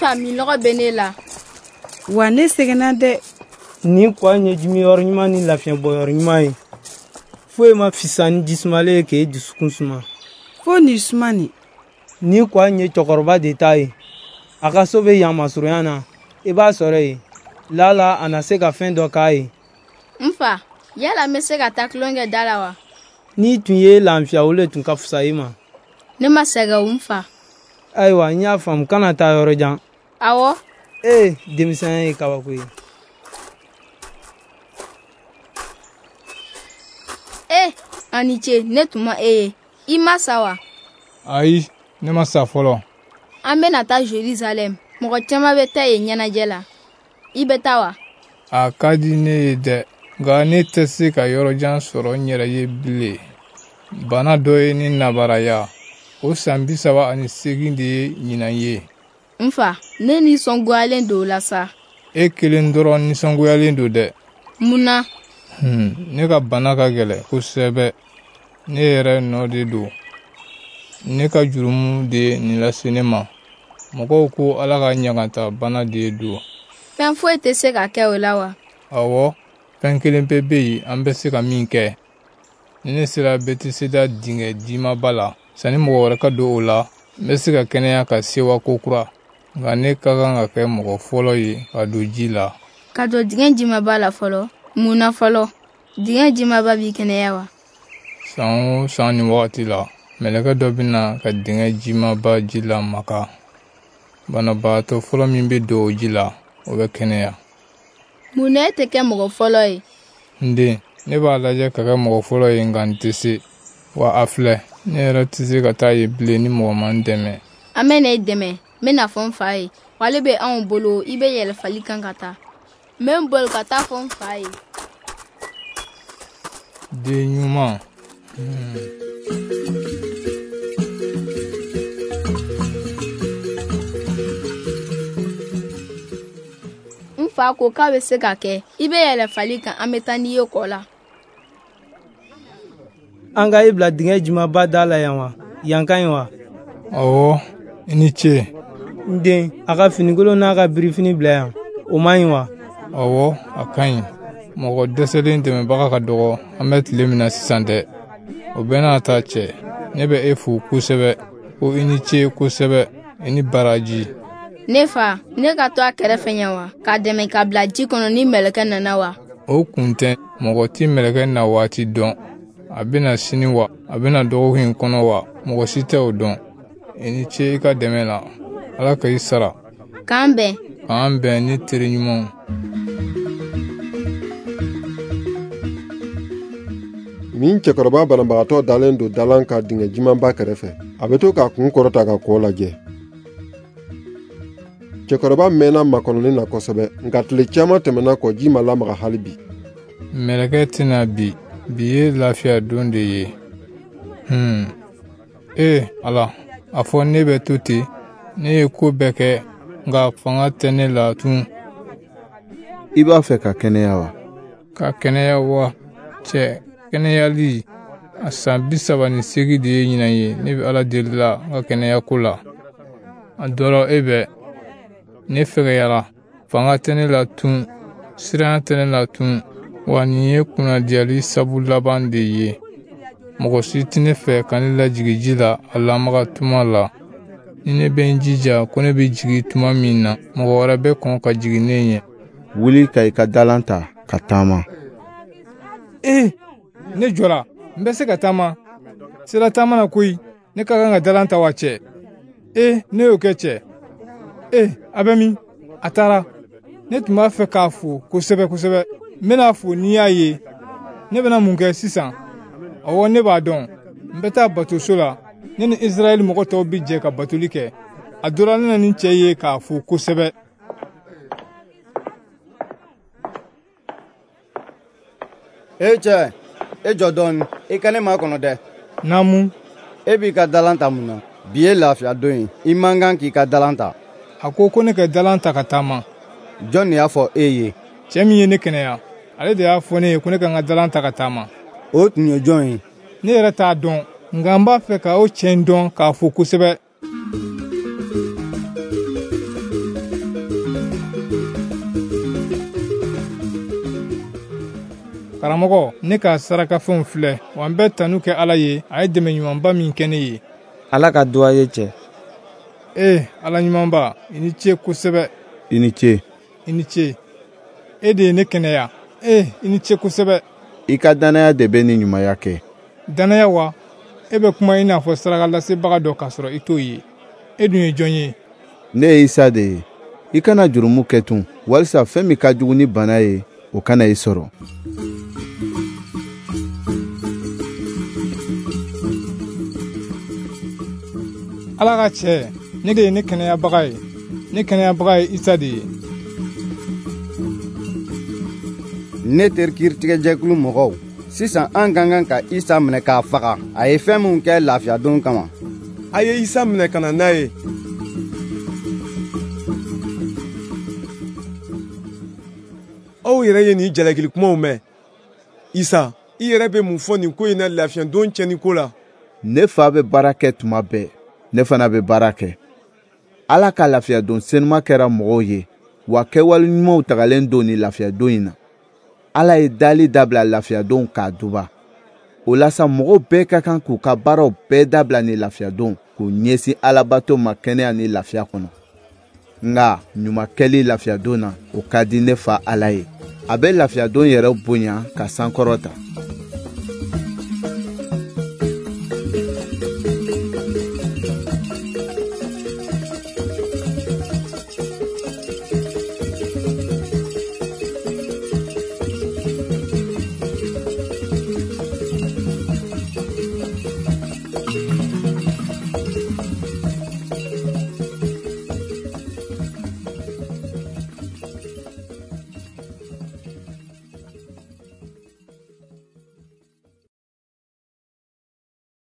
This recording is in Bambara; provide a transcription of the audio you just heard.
N fa, minnɔgɔ bɛ ne la. Wa ne sɛgɛnna dɛ. Nin kɔ in ye jimiyɔrɔ ɲuman ni lafiɲɛbɔyɔrɔ ɲuman ye. Foyi ma fisa ni jisumalen ye k'e dusukun suma. Fo nin suma nin. Nin kɔ in ye cɛkɔrɔba de ta ye. A ka so bɛ yan masurunya na. I b'a sɔrɔ yen. Lala a na se ka fɛn dɔ k'a ye. N fa, yala n bɛ se ka taa tulon kɛ da la wa? N'i tun ye lafiya, o le tun ka fisa i ma. Ne ma sɛgɛn o, n fa. Ayiwa, n y'a faamu, kana taa yɔrɔ jan. Awɔ. Ee, denmisɛnya ye kabako ye. E, a ni ce, ne tun ma e ye. I ma sa wa? Ayi, ne ma sa fɔlɔ. An bɛna taa Jerusalɛm. Mɔgɔ caman bɛ taa yen ɲɛnajɛ la. I bɛ taa wa? A ka di ne ye dɛ, nka ne tɛ se ka yɔrɔjan sɔrɔ n yɛrɛ ye bilen. Bana dɔ ye ne nabaraya. O san 38 de ye ɲinan ye. N fa, ne nisɔngoyalen don o la sa. E kelen dɔrɔn nisɔngoyalen don dɛ. Mun na? Ne ka bana ka gɛlɛn kosɛbɛ. Ne yɛrɛ nɔ de don. Ne ka jurumu de ye nin lase ne ma. Mɔgɔw ko Ala ka ɲagata bana de don. Fɛn foyi tɛ se ka kɛ o la wa? Ɔwɔ, fɛn kelen pe bɛ yen an bɛ se ka min kɛ. Ni ne sera Betiseda dingɛ jimaba la, sanni mɔgɔ wɛrɛ ka don o la, n bɛ se ka kɛnɛya ka sewa kokura. Nka ne ka kan ka kɛ mɔgɔ fɔlɔ ye ka don ji la. Ka don dingɛ jimaba la fɔlɔ? Mun na fɔlɔ? Dingɛ jimaba b'i kɛnɛya wa? San o san nin wagati la, mɛlɛkɛ dɔ bɛ na ka dingɛ jimaba ji lamaga. Banabaatɔ fɔlɔ min bɛ don o ji la, o bɛ kɛnɛya. Mun na e tɛ kɛ mɔgɔ fɔlɔ ye? N den, ne b'a lajɛ ka kɛ mɔgɔ fɔlɔ ye, nka n tɛ se. Wa a filɛ, ne yɛrɛ tɛ se ka taa yen bilen ni mɔgɔ ma n dɛmɛ. An bɛna e dɛmɛ. N bɛna fɔ n fa ye. Wale bɛ anw bolo, i bɛ yɛlɛ fali kan ka taa. N bɛ n boli ka taa fɔ n fa ye. Den ɲuman. N fa ko k'a bɛ se ka kɛ. I bɛ yɛlɛ fali kan, an bɛ taa n'i ye kɔ la. An ka i bila dingɛ jimaba da la yan wa? Yan ka ɲi wa? Ɔwɔ, i ni ce. N den, a ka finikolon n'a ka birifini bila yan. O man ɲi wa? Ɔwɔ, a ka ɲi. Mɔgɔ dɛsɛlen dɛmɛbaga ka dɔgɔ an bɛ tile min na sisan dɛ. O bɛɛ n'a ta cɛ, ne bɛ e fo kosɛbɛ. Ko i ni ce kosɛbɛ, i ni baraji. Ne fa, ne ka to a kɛrɛfɛ yan wa? K'a dɛmɛ ka bila ji kɔnɔ ni mɛlɛkɛ nana wa? O kun tɛ, mɔgɔ tɛ mɛlɛkɛ na waati dɔn. A bɛna sini wa, a bɛna dɔgɔkun in kɔnɔ wa, mɔgɔ si tɛ o dɔn. I ni ce i ka dɛmɛ la. Ala ka i sara. K'an bɛn. K'an bɛn, ne teri ɲumanw. Nin cɛkɔrɔba banabagatɔ dalen don dalan ka dingɛ jimanba kɛrɛfɛ. A bɛ to k'a kun kɔrɔta ka kɔ lajɛ. Cɛkɔrɔba mɛnna makɔnɔni na kosɛbɛ, nka tile caman tɛmɛna kɔ, ji ma lamaga hali bi. Mɛlɛkɛ tɛna bi. Bi ye lafiya don de ye. Ee Ala, a fɔ ne bɛ to ten. Ne ye ko bɛɛ kɛ, nka fanga tɛ ne la tun. I b'a fɛ ka kɛnɛya wa? Ka kɛnɛya wa? Cɛ, kɛnɛyali, a san 38 de ye ɲinan ye. Ne bɛ Ala deli la n ka kɛnɛya ko la. A dɔrɔ e bɛ. Ne fɛgɛyara, fanga tɛ ne la tun, siranya tɛ ne la tun. Wa nin ye kunnadiyali sabu laban de ye. Mɔgɔ si tɛ ne fɛ ka ne lajigin ji la a lamaga tuma la. Ni ne bɛ n jija ko ne bɛ jigin tuma min na, mɔgɔ wɛrɛ bɛ kɔn ka jigin ne ɲɛ. Wuli ka i ka dalan ta ka taama. Ee, ne jɔra, n bɛ se ka taama. Sera taama na koyi, ne ka kan ka dalan ta wa cɛ? Ee, ne y'o kɛ cɛ. Ee, a bɛ min? A taara. Ne tun b'a fɛ k'a fo kosɛbɛ kosɛbɛ. N bɛna fo n'i y'a ye. Ne bɛna mun kɛ sisan? Ɔwɔ, ne b'a dɔn. N bɛ taa batoso la. Ne ni Israɛl mɔgɔ tɔw bɛ jɛ ka batoli kɛ. A dɔra ne na nin cɛ ye k'a fo kosɛbɛ. E cɛ, e jɔ dɔɔni, i ka ne makɔnɔ dɛ. Naamu. E b'i ka dalan ta mun na? Bi ye lafiya don ye, i man kan k'i ka dalan ta. A ko ko ne ka dalan ta ka taama. Jɔn de y'a fɔ e ye? Cɛ min ye ne kɛnɛya, ale de y'a fɔ ne ye ko ne ka n ka dalan ta ka taama. O tun ye jɔn ye? Ne yɛrɛ t'a dɔn, nka n b'a fɛ ka o cɛ in dɔn k'a fo kosɛbɛ. Karamɔgɔ, ne ka sarakafɛnw filɛ, wa n bɛ tanu kɛ Ala ye, a ye dɛmɛ ɲumanba min kɛ ne ye. Ala ka duwa ye cɛ. Ee, Ala ɲumanba, i ni ce kosɛbɛ. I ni ce. I ni ce. E de ye ne kɛnɛya. Ee, i ni ce kosɛbɛ. I ka dannaya de bɛ nin ɲumanya kɛ. Dannaya wa? E bɛ kuma i n'a fɔ sarakalasebaga dɔ k'a sɔrɔ i t'o ye. E dun ye jɔn ye? Ne ye Isa de ye. I kana jurumu kɛ tun, walisa fɛn min ka jugu ni bana ye, o kana i sɔrɔ. Ala ka cɛ, ne de ye ne kɛnɛyabaga ye. Ne kɛnɛyabaga ye Isa de ye. Ne teri kiiritigɛjɛkulu mɔgɔw, sisan an ka kan ka Isa minɛ k'a faga. A ye fɛn min kɛ lafiyadon kama. A ye Isa minɛ ka na n'a ye. Aw yɛrɛ ye nin jalakili kumaw mɛn. Isa, i yɛrɛ bɛ mun fɔ nin ko in na lafiyadon tiɲɛni ko la? Ne fa bɛ baara kɛ tuma bɛɛ, ne fana bɛ baara kɛ. Ala ka lafiyadon senuma kɛra mɔgɔw ye, wa kɛwale ɲumanw tagalen don nin lafiyadon in na. Ala ye dali dabila lafiyadon k'a duba. O la sa, mɔgɔw bɛɛ ka kan k'u ka baaraw bɛɛ dabila ni lafiyadon, k'u ɲɛsin alabato ma kɛnɛya ni lafiya kɔnɔ. Nka ɲuman kɛli lafiyadon na, o ka di ne fa Ala ye. A bɛ lafiyadon yɛrɛ bonya ka sankɔrɔta.